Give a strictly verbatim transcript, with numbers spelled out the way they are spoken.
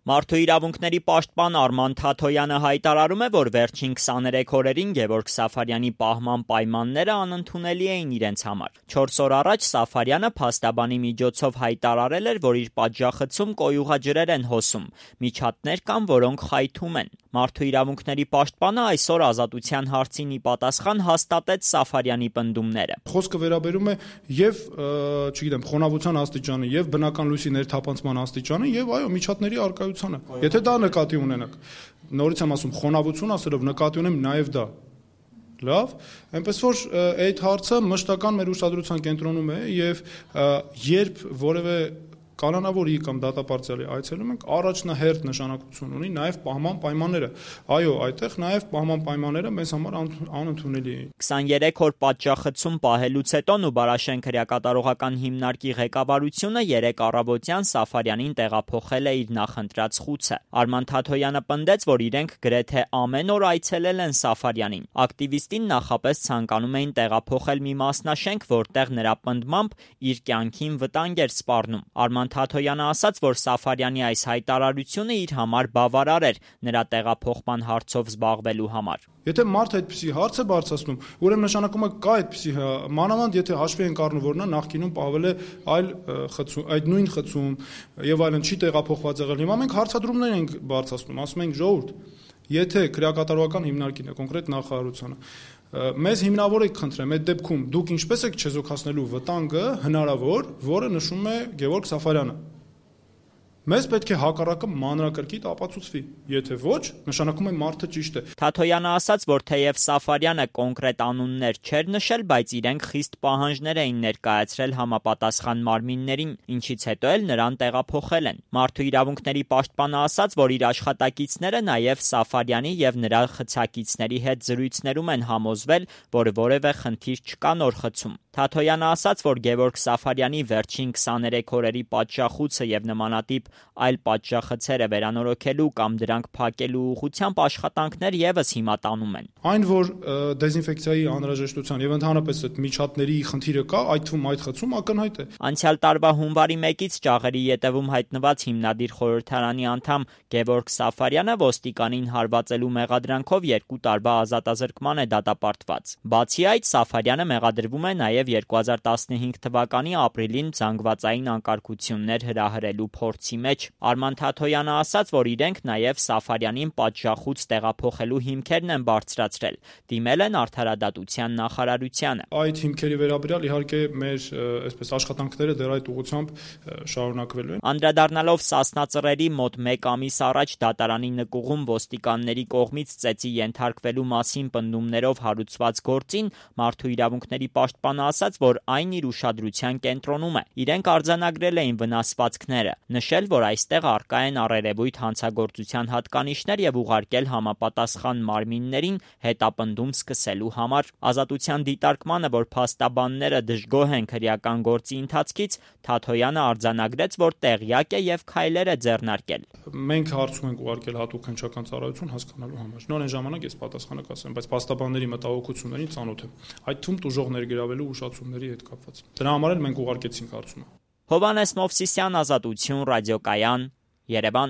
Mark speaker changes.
Speaker 1: Մարդու իրավունքների պաշտպան Արման Թաթոյանը հայտարարում է, որ վերջին քսաներեք օրերին Գևորգ Սաֆարյանի պահման պայմանները անընդունելի էին իրենց համար։ Չորս օր առաջ Սաֆարյանը փաստաբանի միջոցով հայտարարել էր, որ իր պատժախցում կոյուղաջրեր են հոսում, միջատներ կան, որոնք խայթում են։ Մարդու իրավունքների պաշտպանը այսօր Ազատության հարցին ի պատասխան հաստատեց Սաֆարյանի պնդումները։
Speaker 2: Խոսքը վերաբերում է եւ, չգիտեմ, խոնավության աստիճանը, եւ բնական լույսի ներթափանցման աստիճանը, եւ այո, միջատների արկայությանը։ Եթե դա նկատի ունենաք, նորից եմ ասում, խոնավություն ասելով նկատի ունեմ նաեւ դա։ Լավ, այնպես որ այդ հարցը մշտական մեր ուշադրության կենտրոնում է եւ երբ որևէ կանոնավորի կամ դատապարտյալի այցելում ենք, առաջնահերթ նշանակություն ունի նաև պահման պայմանները։ Այո, այդտեղ նաև պահման պայմանները մեզ համար անընդունելի էին։
Speaker 1: քսաներեք օր պատժախցում պահելուց հետո Նուբարաշեն քրեակատարողական հիմնարկի ղեկավարությունը երեկ առավոտյան Սաֆարյանին տեղափոխել է իր նախընտրած խուցը։ Արման Թաթոյանը պնդեց, որ իրենք գրեթե ամեն օր այցելել են Սաֆարյանին։ Ակտիվիստին նախապես ցանկանում էին տեղափոխել մի մասնաշենք, որտեղ նրա պնդմամբ իր կյանքին վտանգ էր սպառնում։ Արման Թաթոյանը ասաց, որ Սաֆարյանի այս հայտարարությունը իր համար բավարար էր նրա տեղափոխման հարցով զբաղվելու համար։
Speaker 2: Եթե մարդը այդպիսի հարց է բարձրացնում, ուրեմն նշանակում է կա այդպիսի մանավանդ, եթե հաշվի ենք առնում, որ նա նախկինում պահվել է այլ խցում, այդ նույն խցում եւ այլն չի տեղափոխված եղել։ Հիմա մենք հարցադրումներ ենք բարձրացնում, ասում ենք ժողովուրդ, եթե քրեակատարողական հիմնարկին է, կոնկրետ նախարարությանը մեզ հիմնավորեք խնդրեմ, այդ դեպքում դուք ինչպես եք չեզոքացնելու վտանգը հնարավոր, որը նշում է Գևորգ Սաֆարյանը։ Մեզ պետք է հակառակը մանրակրկիտ ապացուցվի, եթե ոչ, նշանակում է մարդը ճիշտ է։
Speaker 1: Թաթոյանը ասաց, որ թեև Սաֆարյանը կոնկրետ անուններ չէր նշել, բայց իրենք խիստ պահանջներ էին ներկայացրել համապատասխան մարմիններին, ինչից հետո էլ նրան տեղափոխել են։ Մարդու իրավունքների պաշտպանը ասաց, որ իր աշխատակիցները նաև Սաֆարյանի եւ նրա խցակիցների հետ զրույցներում են համոզվել, որ որևէ խնդիր չկա նոր խցում։ Թաթոյանը ասաց, որ Գևորգ Սաֆարյանի վերջին քսաներեք օրերի պատժախուցը եւ նմանատիպ այլ պատժախցերը վերանորոգելու կամ դրանք փակելու ուղղությամբ աշխատանքներ եւս հիմա տանում են։
Speaker 2: Այն, որ դեզինֆեկցիայի անհրաժեշտության եւ ընդհանրապես այդ միջատների խնդիրը կա, այդ թվում այդ խցում ակնհայտ է։
Speaker 1: Անցյալ տարվա հունվարի մեկից ճաղերի ետևում հայտնված հիմնադիր խորհրդարանի անդամ Գևորգ Սաֆարյանը ոստիկանին հարվածելու մեղադրանքով երկու տարվա ազատազրկման է դատապարտված։ Բացի այդ, Սաֆարյանը մեղադրվում է նաեւ երկու հազար տասնհինգ թվականի ապրիլին զանգվածային անկարգություններ հրահրելու փորձի մեջ։ Արման Թաթոյանը ասաց, որ իրենք նաև Սաֆարյանին պատժախուց տեղափոխելու հիմքերն են բարձրացրել, դիմել են Արդարադատության նախարարությանը։
Speaker 2: Այդ հիմքերի վերաբերյալ իհարկե մեր այսպես աշխատանքները դեռ այդ ուղղությամբ շարունակվելու են։
Speaker 1: Անդրադառնալով Սասնա ծռերի մոտ մեկ ամիս առաջ դատարանի նկուղում ոստիկանների կողմից ծեծի ենթարկվելու մասին պնդումներով հարուցված գործին, Մարդու իրավունքների պաշտպանը ասաց, որ այն իր ուշադրության կենտրոնում է։ Իրենք արձանագրել էին վնասվածքները, նշել, որ այստեղ առկա են առերևույթ հանցագործության հատկանիշներ եւ ուղարկել համապատասխան մարմիններին հետապնդում սկսելու համար։ Ազատության դիտարկմանը, որ փաստաբանները դժգոհ են քրեական գործի ընթացքից, Թաթոյանը արձանագրեց, որ տեղյակ է եւ քայլեր է ձեռնարկել։
Speaker 2: Մենք հարցում ենք ուղարկել հատուկ հնչական ծառայություն հասկանալու համար։ Նոր այն ժամանակ ես պատասխանը կասեմ, բայց փաստաբանների մտահոգություններին ծանոթ եմ։ Այդ թվում տուժող ներգրավելու ուշացումների հետ կապված։ Դրա համար էլ մենք ուղարկեցինք հարցումը։
Speaker 1: Հովհաննես Մովսիսյան, Ազատություն, ռադիոկայան, Երևան։